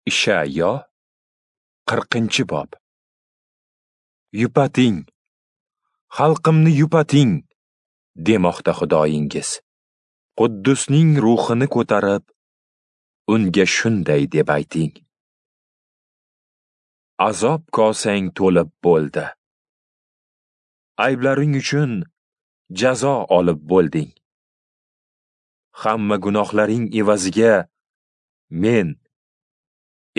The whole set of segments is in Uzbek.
Ishayo 40-bob. Yupating, xalqimni yupating, demoqda Xudoyingiz. Quddusning ruhini ko'tarib, unga shunday deb ayting: Azob kosang to'lib bo'ldi. Ayblaring uchun jazo olib bo'lding. Hamma gunohlaring evaziga men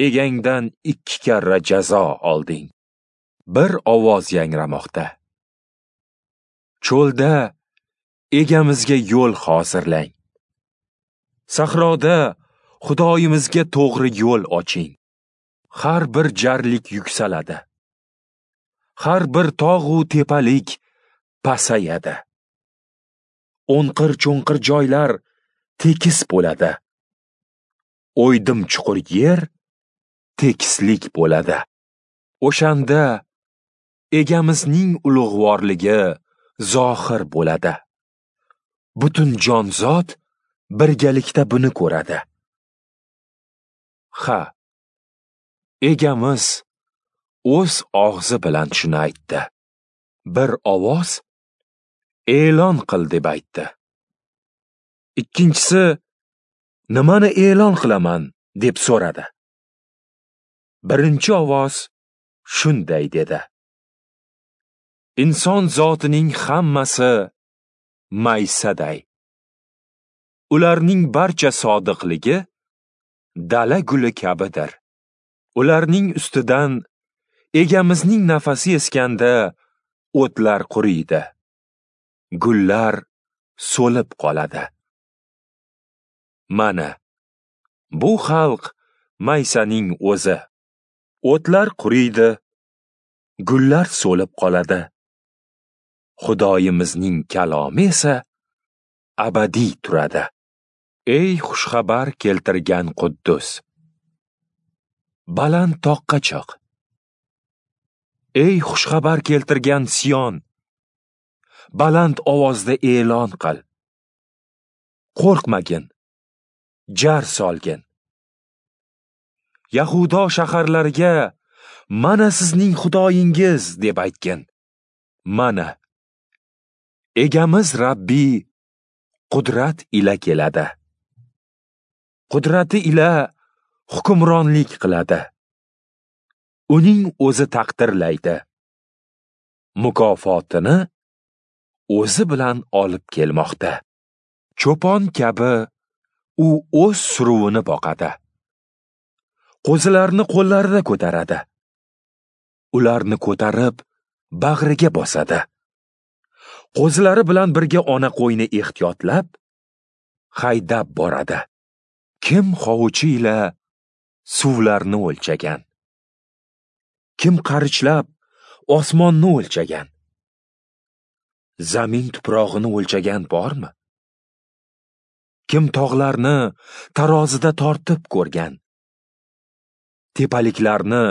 egangdan 2 karra jazo olding. Bir ovoz yangramoqda: Cho'lda egamizga yo'l hozirlang. Sahroda Xudoyimizga to'g'ri yo'l oching. Har bir jarlik yuksaladi. Har bir tog'u tepalik pasayadi. O'nqir-cho'nqir joylar tekis bo'ladi. O'ydim chuqur yer tekislik bo'ladi. O'shanda egamizning ulug'vorligi zohir bo'ladi. Butun jonzot birgalikda buni ko'radi. Ha, egamiz o'z og'zi bilan shuni aytdi. Bir ovoz e'lon qil deb aytdi. Ikkinchisi nimani e'lon qilaman deb so'radi. Birinchi ovoz shunday dedi: Inson zotining hammasi maysaday. Ularning barcha sodiqligi dala guli kabidir. Ularning ustidan egamizning nafasi eskanda o'tlar quriydi, gullar so'lib qoladi. Mana bu xalq maysaning o'zi. O'tlar quriydi, gullar so'lib qoladi. Xudoyimizning kalomi esa abadiy turadi. Ey xushxabar keltirgan Quddus, baland toqqa chiq. Ey xushxabar keltirgan Sion, baland ovozda e'lon qil. Qo'rqmagin, jar solgin. Yahudo shaharlariga mana sizning Xudoyingiz deb aytgin. Mana egamiz Rabbi qudrat ila keladi. Qudrati ila hukmronlik qiladi. Uning o'zi taqdirlaydi. Mukofotini o'zi bilan olib kelmoqda. Cho'pon kabi u o'z suruvini boqadi. Qo'zilarni qo'llarida ko'taradi. Ularni ko'tarib bag'riga bosadi. Qo'zilari bilan birga ona qo'yni ehtiyotlab haydab boradi. Kim hovuchi ila suvlarni o'lchagan? Kim qarichlab osmonni o'lchagan? Zamin tuprog'ini o'lchagan bormi? Kim tog'larni tarozida tortib ko'rgan? Tepaliklarni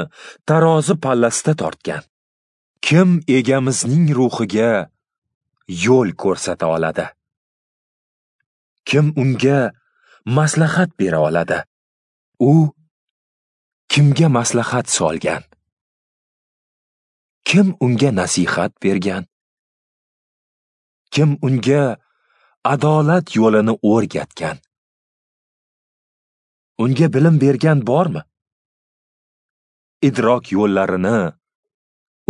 tarozi pallasida tortgan? Kim egamizning ruhiga yo'l ko'rsata oladi? Kim unga maslahat bera oladi? U kimga maslahat solgan? Kim unga nasihat bergan? Kim unga adolat yo'lini o'rgatgan? Unga bilim bergan bormi? Idrok yo'llarini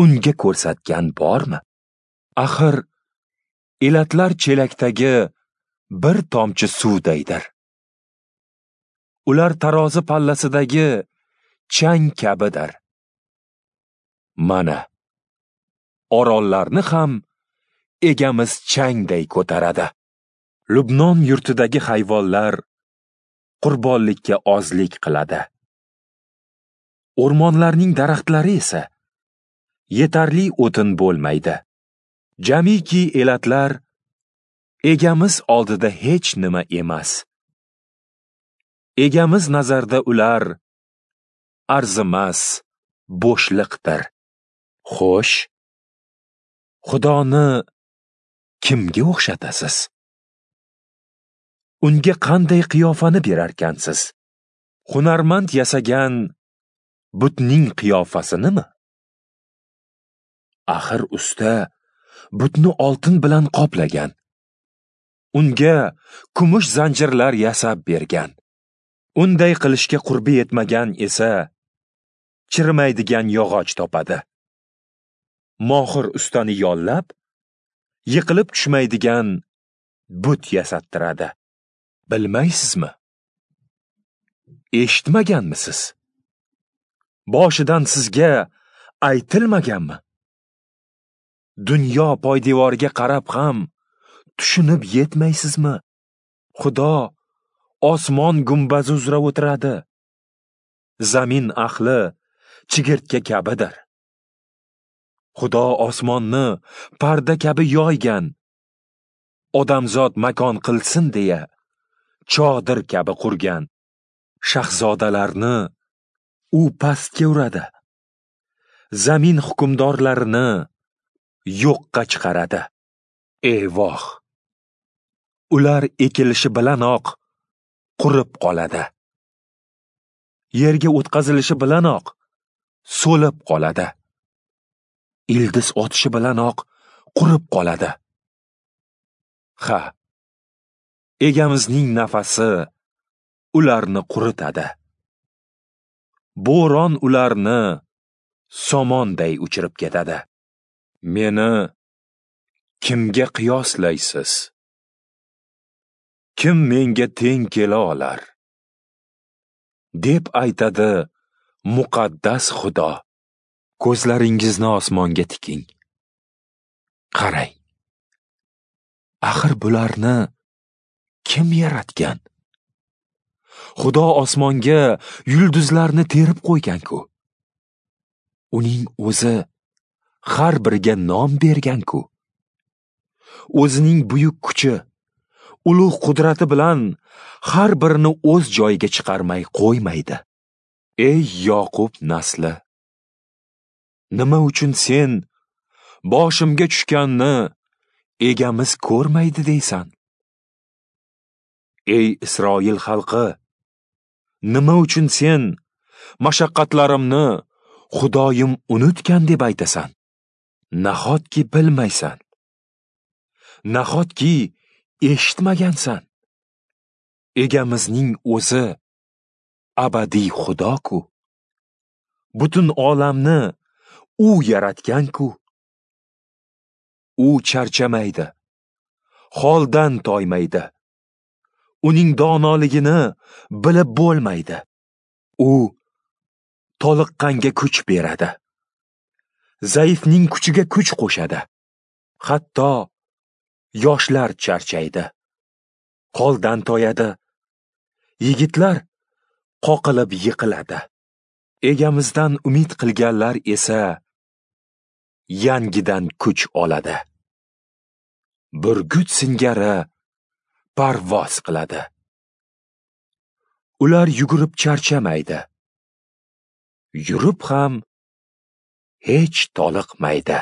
unga ko'rsatgan bormi? Axir elatlar chelakdagi bir tomchi suvdaydir. Ular tarozi pallasidagi chang kabidir. Mana orollarni ham egamiz changday ko'taradi. Lubnon yurtidagi hayvonlar qurbonlikka ozlik qiladi. O'rmonlarning daraxtlari esa yetarli o'tin bo'lmaydi. Jamiki elatlar egamiz oldida hech nima emas. Egamiz nazarda ular arzimas bo'shliqdir. Xo'sh, Xudoni kimga o'xshatasiz? Unga qanday qiyofani berarkansiz? Hunarmand yasagan Butning qiyofasinimi? Axir usta butni oltin bilan qoplagan. Unga kumush zanjirlar yasab bergan. Unday qilishga qurbi yetmagan esa chirimaydigan yog'och topadi. Mohir ustani yollab, yiqilib tushmaydigan but yasattiradi. Bilmaysizmi? Eshitmaganmisiz? Boshidan sizga aytilmaganmi? Dunyo poydevoriga qarab ham tushunib yetmaysizmi? Xudo osmon gumbazi uzra o'tiradi. Zamin ahli chigirtka kabidir. Xudo osmonni parda kabi yoygan. Odamzod makon qilsin deya chodir kabi qurgan. Shahzodalarni u pastga uradi. Zamin hukmdorlarini yo'qqa chiqaradi. Eyvoh! Ular ekilishi bilanoq qurib qoladi. Yerga o'tkazilishi bilanoq so'lib qoladi. Ildiz otishi bilanoq qurib qoladi. Ha, egamizning nafasi ularni quritadi. Bo'ron ularni somonday uchirib ketadi. Meni kimga qiyoslaysiz? Kim menga teng kela olar? Deb aytadi muqaddas Xudo. Ko'zlaringizni osmonga tiking. Qarang. Axir bularni kim yaratgan? Xudo osmonga yulduzlarni terib qo'ygan-ku. Uning o'zi har biriga nom bergan-ku. O'zining buyuk kuchi, ulug' qudrati bilan har birini o'z joyiga chiqarmay qo'ymaydi. Ey Yoqub nasli, nima uchun sen boshimga tushganni egamiz ko'rmaydi deysan? Ey Isroil xalqi, nima uchun sen mashaqqatlarimni Xudoyim unutgan deb aytasan? Nahotki bilmaysan? Nahotki eshitmagansan? Egamizning o'zi abadiy Xudo-ku. Butun olamni u yaratgan-ku. U charchamaydi, holdan toymaydi. Uning donoligini bilib bo'lmaydi. U toliqqanga kuch beradi. Zaifning kuchiga kuch qo'shadi. Hatto yoshlar charchaydi, holdan toyadi. Yigitlar qoqilib yiqiladi. Egamizdan umid qilganlar esa yangidan kuch oladi. Burgut singari parvoz qiladi. Ular yugurib charchamaydi. Yurib ham hech toliqmaydi.